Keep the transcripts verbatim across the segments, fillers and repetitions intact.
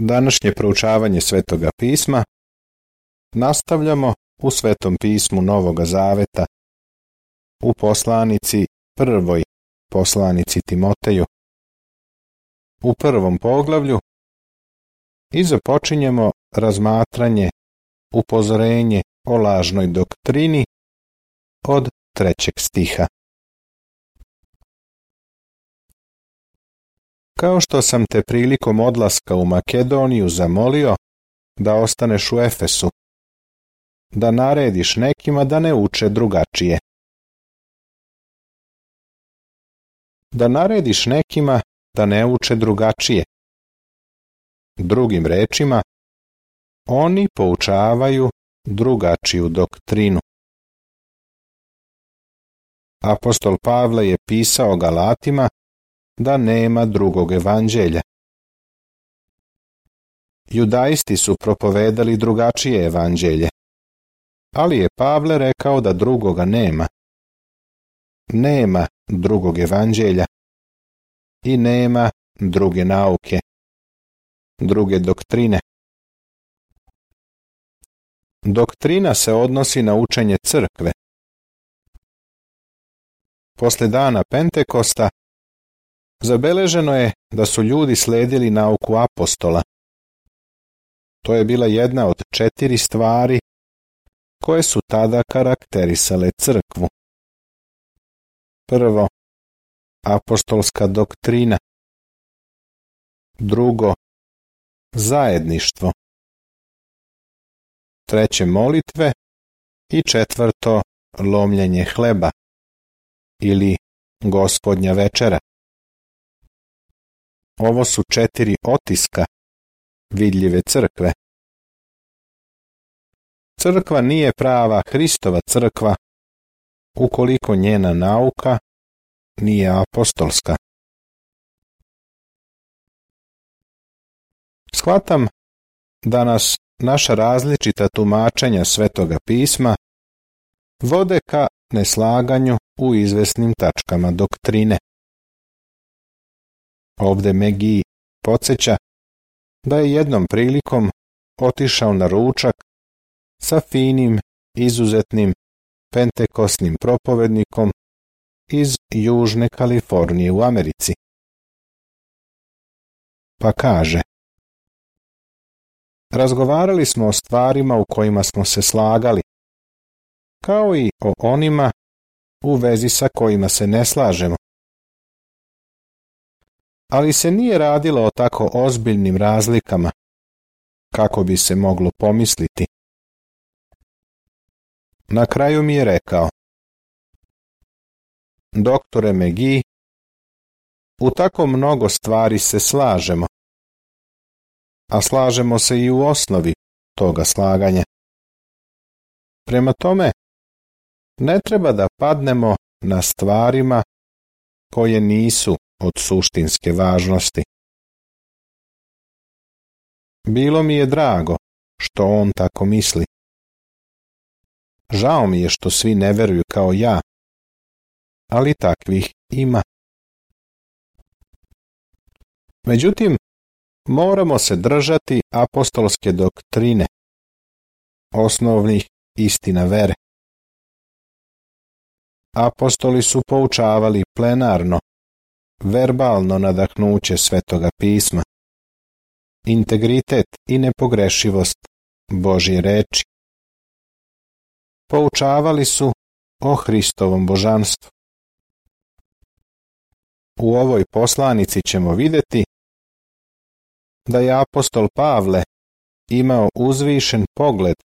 Današnje proučavanje Svetoga pisma nastavljamo u Svetom pismu Novoga Zaveta, u poslanici prvoj poslanici Timoteju, u prvom poglavlju, i započinjemo razmatranje, upozorenje o lažnoj doktrini od trećeg stiha. Kao što sam te prilikom odlaska u Makedoniju zamolio da ostaneš u Efesu, da narediš nekima da ne uče drugačije. Da narediš nekima da ne uče drugačije. Drugim rečima, oni poučavaju drugačiju doktrinu. Apostol Pavle je pisao Galatima da nema drugog evanđelja. Judaisti su propovedali drugačije evanđelje, ali je Pavle rekao da drugoga nema. Nema drugog evanđelja i nema druge nauke, druge doktrine. Doktrina se odnosi na učenje crkve. Posle dana Pentekosta zabeleženo je da su ljudi sledili nauku apostola. To je bila jedna od četiri stvari koje su tada karakterisale crkvu. Prvo, apostolska doktrina. Drugo, zajedništvo. Treće, molitve. I četvrto, lomljenje hleba ili Gospodnja večera. Ovo su četiri otiska vidljive crkve. Crkva nije prava Hristova crkva ukoliko njena nauka nije apostolska. Shvatam da nas naša različita tumačenja Svetoga pisma vode ka neslaganju u izvesnim tačkama doktrine. Ovde Megi podsjeća da je jednom prilikom otišao na ručak sa finim, izuzetnim pentekosnim propovednikom iz Južne Kalifornije u Americi. Pa kaže: razgovarali smo o stvarima u kojima smo se slagali, kao i o onima u vezi sa kojima se ne slažemo. Ali se nije radilo o tako ozbiljnim razlikama, kako bi se moglo pomisliti. Na kraju mi je rekao: doktore Megi, u tako mnogo stvari se slažemo, a slažemo se i u osnovi toga slaganja. Prema tome, ne treba da padnemo na stvarima koje nisu od suštinske važnosti. Bilo mi je drago što on tako misli. Žao mi je što svi ne veruju kao ja, ali takvih ima. Međutim, moramo se držati apostolske doktrine, osnovnih istina vere. Apostoli su poučavali plenarno, verbalno nadahnuće Svetoga pisma, integritet i nepogrešivost Božje reči. Poučavali su o Hristovom božanstvu. U ovoj poslanici ćemo vidjeti da je apostol Pavle imao uzvišen pogled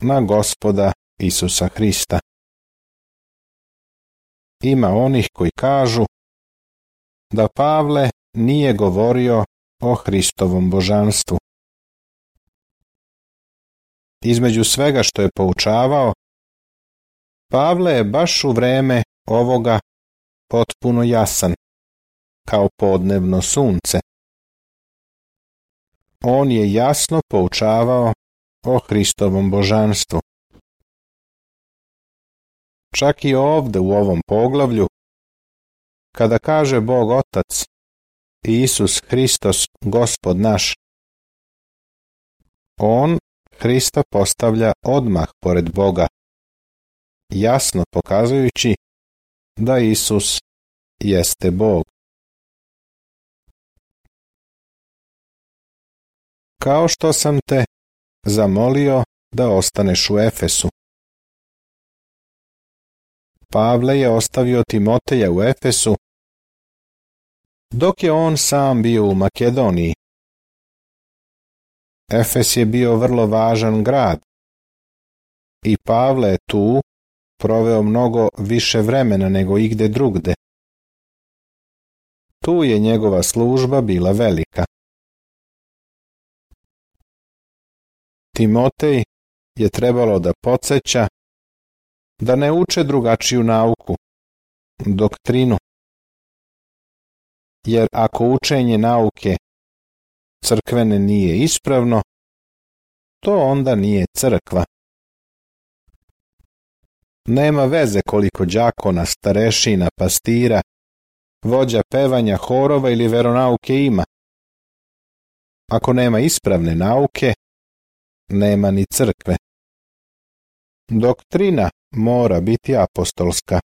na Gospoda Isusa Hrista. Ima onih koji kažu da Pavle nije govorio o Hristovom božanstvu. Između svega što je poučavao, Pavle je baš u vreme ovoga potpuno jasan, kao podnevno sunce. On je jasno poučavao o Hristovom božanstvu. Čak i ovde u ovom poglavlju, kada kaže Bog Otac i Isus Hristos, Gospod naš, On Hrista postavlja odmah pored Boga, jasno pokazujući da Isus jeste Bog. Kao što sam te zamolio da ostaneš u Efesu. Pavle je ostavio Timoteja u Efesu, dok je on sam bio u Makedoniji. Efes je bio vrlo važan grad i Pavle je tu proveo mnogo više vremena nego igde drugde. Tu je njegova služba bila velika. Timotej je trebalo da podsjeća da ne uče drugačiju nauku, doktrinu, jer ako učenje nauke crkvene nije ispravno, to onda nije crkva. Nema veze koliko đakona, starešina, pastira, vođa pevanja, horova ili veronauke ima. Ako nema ispravne nauke, nema ni crkve. Doktrina mora biti apostolska.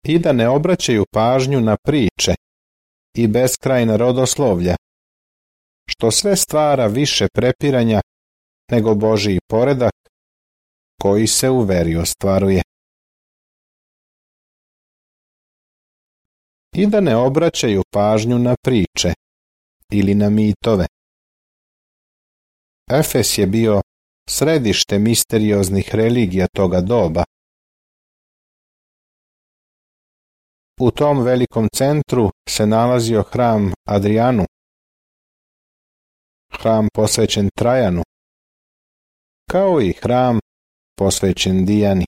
I da ne obraćaju pažnju na priče i beskrajna rodoslovlja, što sve stvara više prepiranja nego Božji poredak koji se u veri ostvaruje. I da ne obraćaju pažnju na priče ili na mitove. Efes je bio središte misterioznih religija toga doba. U tom velikom centru se nalazio hram Adrianu, hram posvećen Trajanu, kao i hram posvećen Dijani.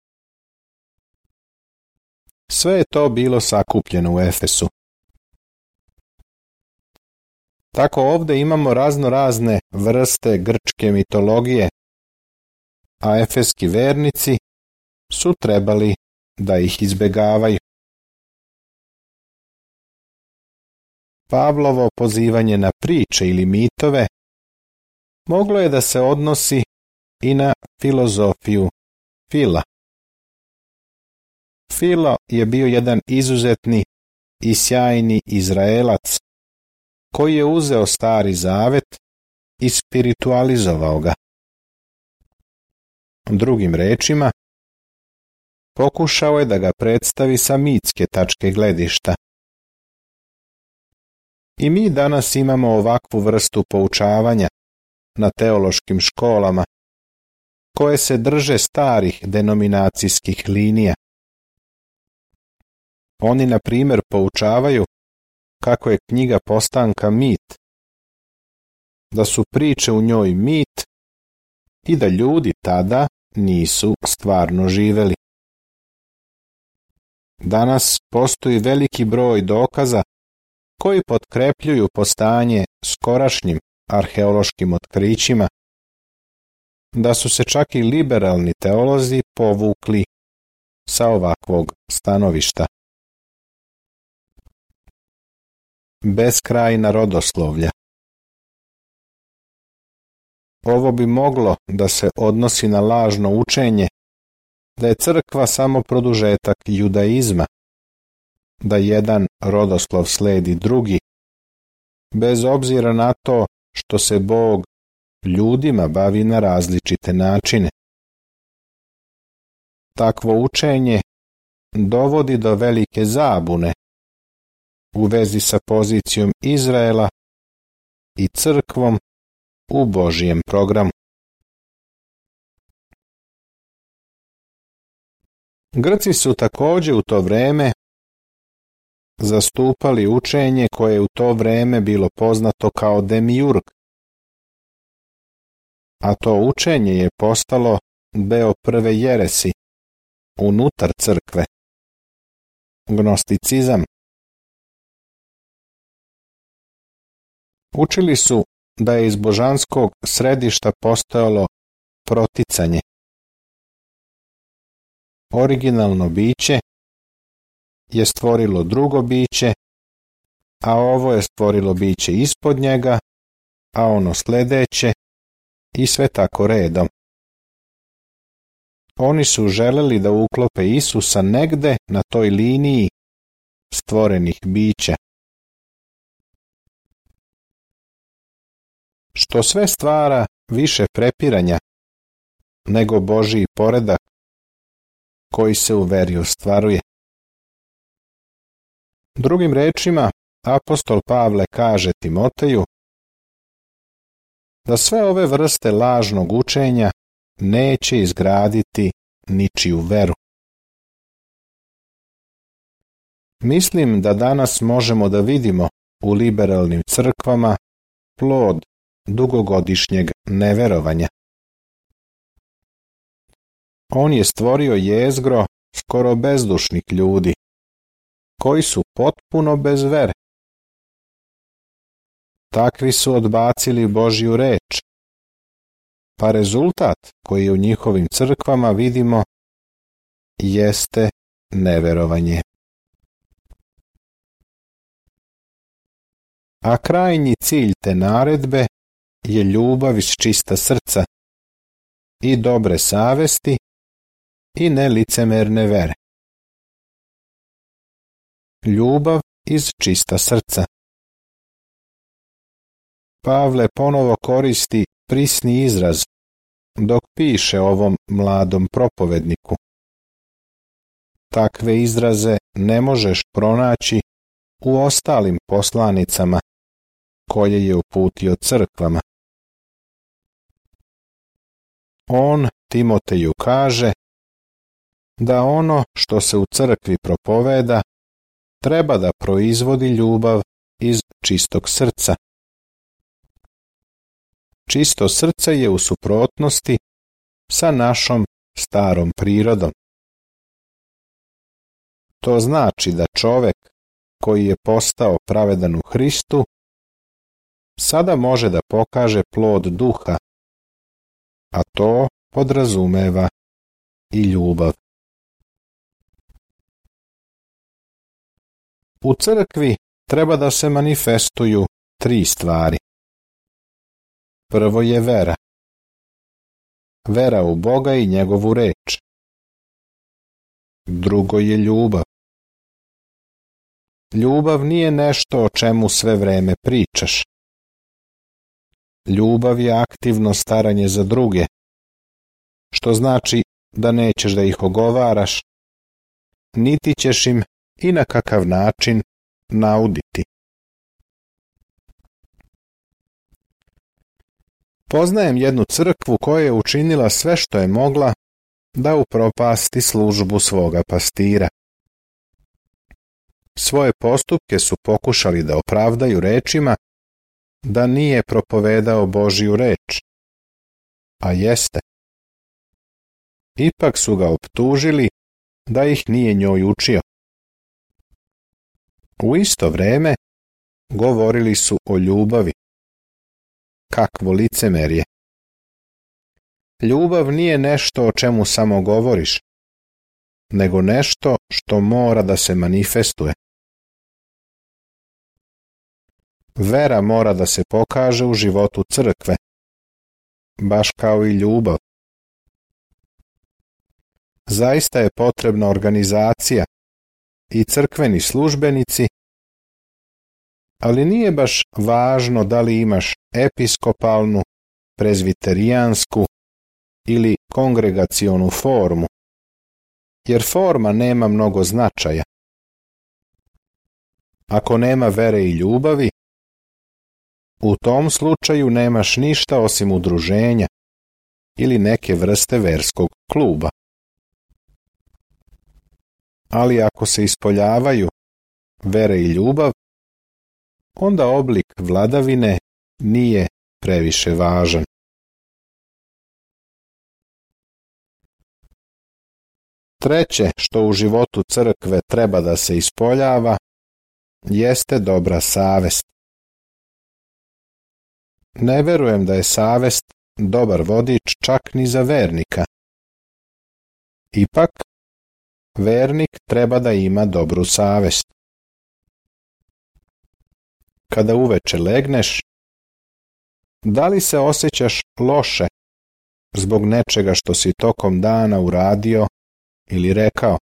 Sve je to bilo sakupljeno u Efesu. Tako ovdje imamo razno razne vrste grčke mitologije, a efeski vernici su trebali da ih izbegavaju. Pavlovo pozivanje na priče ili mitove moglo je da se odnosi i na filozofiju Fila. Filo je bio jedan izuzetni i sjajni Izraelac koji je uzeo Stari Zavet i spiritualizovao ga. Drugim rečima, pokušao je da ga predstavi sa mitske tačke gledišta. I mi danas imamo ovakvu vrstu poučavanja na teološkim školama, koje se drže starih denominacijskih linija. Oni, na primjer, poučavaju kako je knjiga Postanka mit, da su priče u njoj mit i da ljudi tada nisu stvarno živeli. Danas postoji veliki broj dokaza koji potkrepljuju postojanje skorašnjim arheološkim otkrićima, da su se čak i liberalni teolozi povukli sa ovakvog stanovišta. Beskrajna rodoslovlja. Ovo bi moglo da se odnosi na lažno učenje da je crkva samo produžetak judaizma, da jedan rodoslov sledi drugi, bez obzira na to što se Bog ljudima bavi na različite načine. Takvo učenje dovodi do velike zabune u vezi sa pozicijom Izraela i crkvom u Božjem programu. Grci su također u to vreme zastupali učenje koje je u to vreme bilo poznato kao demiurg, a to učenje je postalo deo prve jeresi unutar crkve, gnosticizam. Učili su da je iz božanskog središta postojalo proticanje. Originalno biće je stvorilo drugo biće, a ovo je stvorilo biće ispod njega a ono sljedeće i sve tako redom. Oni su želeli da uklope Isusa negde na toj liniji stvorenih bića. Što sve stvara više prepiranja nego Božji poredak koji se u veri ostvaruje. Drugim rečima, apostol Pavle kaže Timoteju da sve ove vrste lažnog učenja neće izgraditi ničiju veru. Mislim da danas možemo da vidimo u liberalnim crkvama plod dugogodišnjeg neverovanja. On je stvorio jezgro skoro bezdušnih ljudi, koji su potpuno bez vere. Takvi su odbacili Božju reč, pa rezultat koji u njihovim crkvama vidimo jeste neverovanje. A krajnji cilj te naredbe je ljubav iz čista srca i dobre savesti i nelicemerne vere. Ljubav iz čista srca. Pavle ponovo koristi prisni izraz dok piše ovom mladom propovedniku. Takve izraze ne možeš pronaći u ostalim poslanicama koje je uputio crkvama. On Timoteju kaže da ono što se u crkvi propoveda treba da proizvodi ljubav iz čistog srca. Čisto srce je u suprotnosti sa našom starom prirodom. To znači da čovek koji je postao pravedan u Hristu sada može da pokaže plod duha, a to podrazumeva i ljubav. U crkvi treba da se manifestuju tri stvari. Prvo je vera. Vera u Boga i njegovu reč. Drugo je ljubav. Ljubav nije nešto o čemu sve vreme pričaš. Ljubav je aktivno staranje za druge, što znači da nećeš da ih ogovaraš, niti ćeš im i na kakav način nauditi. Poznajem jednu crkvu koja je učinila sve što je mogla da upropasti službu svoga pastira. Svoje postupke su pokušali da opravdaju rečima da nije propovedao Božju reč, a jeste. Ipak su ga optužili da ih nije njoj učio. U isto vreme govorili su o ljubavi. Kakvo licemerje! Ljubav nije nešto o čemu samo govoriš, nego nešto što mora da se manifestuje. Vera mora da se pokaže u životu crkve, baš kao i ljubav. Zaista je potrebna organizacija i crkveni službenici, ali nije baš važno da li imaš episkopalnu, prezbiterijansku ili kongregacionu formu, jer forma nema mnogo značaja. Ako nema vere i ljubavi, u tom slučaju nemaš ništa osim udruženja ili neke vrste verskog kluba. Ali ako se ispoljavaju vere i ljubav, onda oblik vladavine nije previše važan. Treće što u životu crkve treba da se ispoljava jeste dobra savest. Ne verujem da je savest dobar vodič čak ni za vernika. Ipak, vernik treba da ima dobru savest. Kada uveče legneš, Da li se osjećaš loše zbog nečega što si tokom dana uradio ili rekao?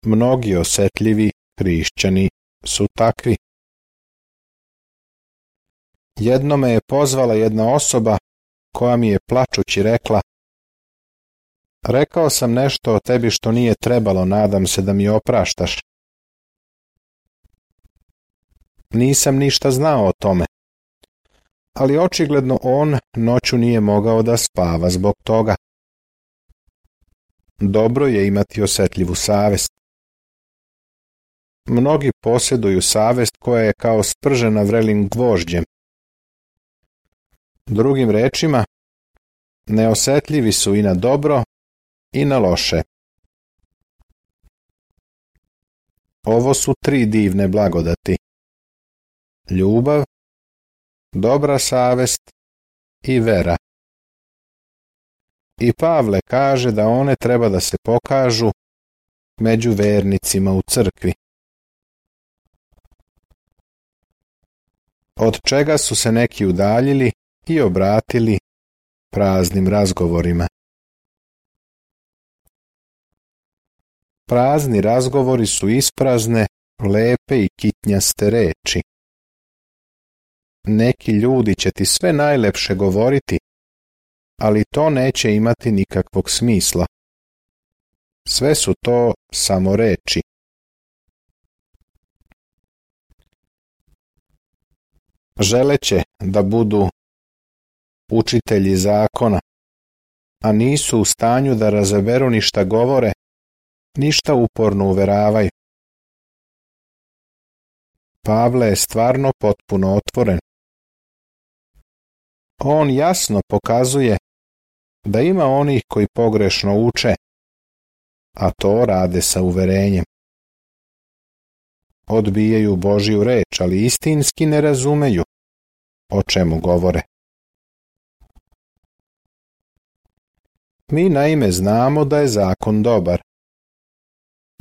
Mnogi osjetljivi hrišćani su takvi. Jednom me je pozvala jedna osoba koja mi je plačući rekla: rekao sam nešto o tebi što nije trebalo, nadam se da mi opraštaš. Nisam ništa znao o tome, ali očigledno on noću nije mogao da spava zbog toga. Dobro je imati osjetljivu savest. Mnogi posjeduju savest koja je kao spržena vrelim gvožđem. Drugim rečima, neosjetljivi su i na dobro i na loše. Ovo su tri divne blagodati: ljubav, dobra savest i vera. I Pavle kaže da one treba da se pokažu među vernicima u crkvi. Od čega su se neki udaljili i obratili praznim razgovorima. Prazni razgovori su isprazne, lepe i kitnjaste reči. Neki ljudi će ti sve najlepše govoriti, ali to neće imati nikakvog smisla. Sve su to samo reči. Želeće da budu učitelji zakona, a nisu u stanju da razaberu ni šta govore, ništa uporno uveravaju. Pavle je stvarno potpuno otvoren. On jasno pokazuje da ima onih koji pogrešno uče, a to rade sa uverenjem. Odbijaju Božju reč, ali istinski ne razumeju o čemu govore. Mi naime znamo da je zakon dobar,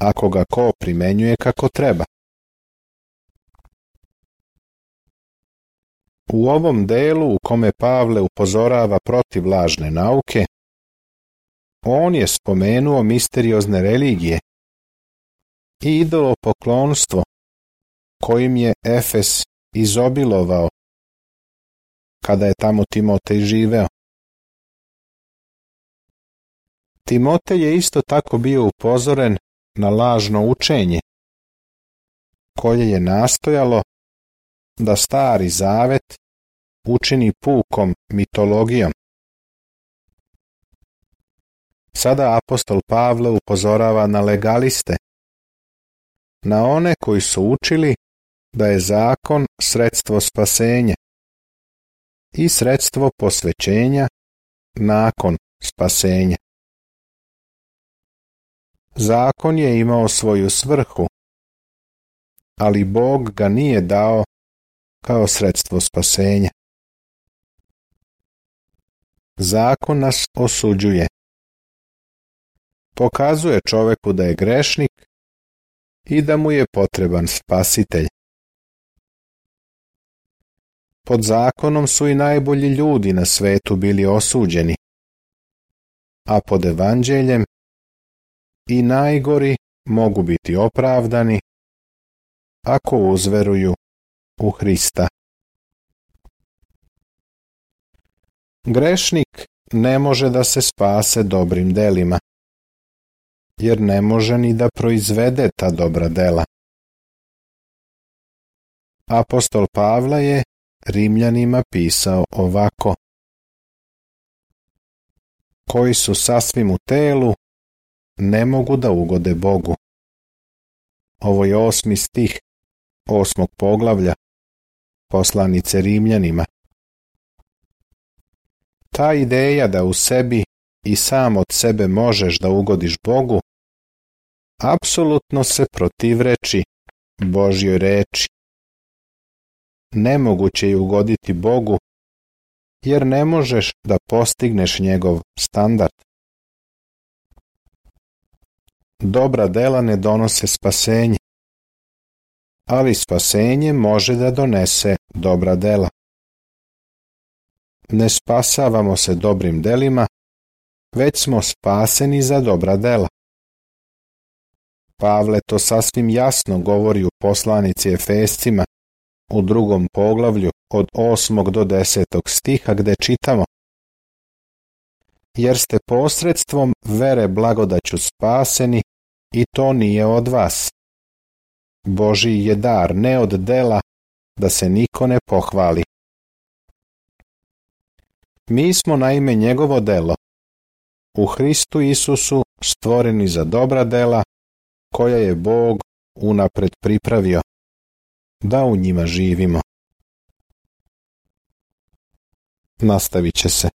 ako ga ko primenjuje kako treba. U ovom delu u kome Pavle upozorava protiv lažne nauke, on je spomenuo misteriozne religije i idolopoklonstvo kojim je Efes izobilovao kada je tamo Timotej živeo. Timotej je isto tako bio upozoren na lažno učenje, koje je nastojalo da Stari Zavet učini pukom mitologijom. Sada apostol Pavle upozorava na legaliste, na one koji su učili da je zakon sredstvo spasenja i sredstvo posvećenja nakon spasenja. Zakon je imao svoju svrhu, ali Bog ga nije dao kao sredstvo spasenja. Zakon nas osuđuje. Pokazuje čoveku da je grešnik i da mu je potreban spasitelj. Pod zakonom su i najbolji ljudi na svetu bili osuđeni, a pod evanđeljem i najgori mogu biti opravdani ako uzveruju u Hrista. Grešnik ne može da se spase dobrim delima, jer ne može ni da proizvede ta dobra dela. Apostol Pavle je Rimljanima pisao ovako: koji su sasvim u telu, ne mogu da ugode Bogu. Ovo je osmi stih osmog poglavlja poslanice Rimljanima. Ta ideja da u sebi i sam od sebe možeš da ugodiš Bogu, apsolutno se protivreči Božjoj reči. Nemoguće je ugoditi Bogu, jer ne možeš da postigneš njegov standard. Dobra dela ne donose spasenje, ali spasenje može da donese dobra dela. ne spasavamo se dobrim delima, već smo spaseni za dobra dela. Pavle to sasvim jasno govori u poslanici Efescima u drugom poglavlju od osmog do desetog stiha gde čitamo: jer ste posredstvom vere blagodaću spaseni i to nije od vas. Božji je dar, ne od dela, da se niko ne pohvali. Mi smo naime njegovo delo, u Hristu Isusu stvoreni za dobra dela, koja je Bog unapred pripravio, da u njima živimo. Nastavit će se.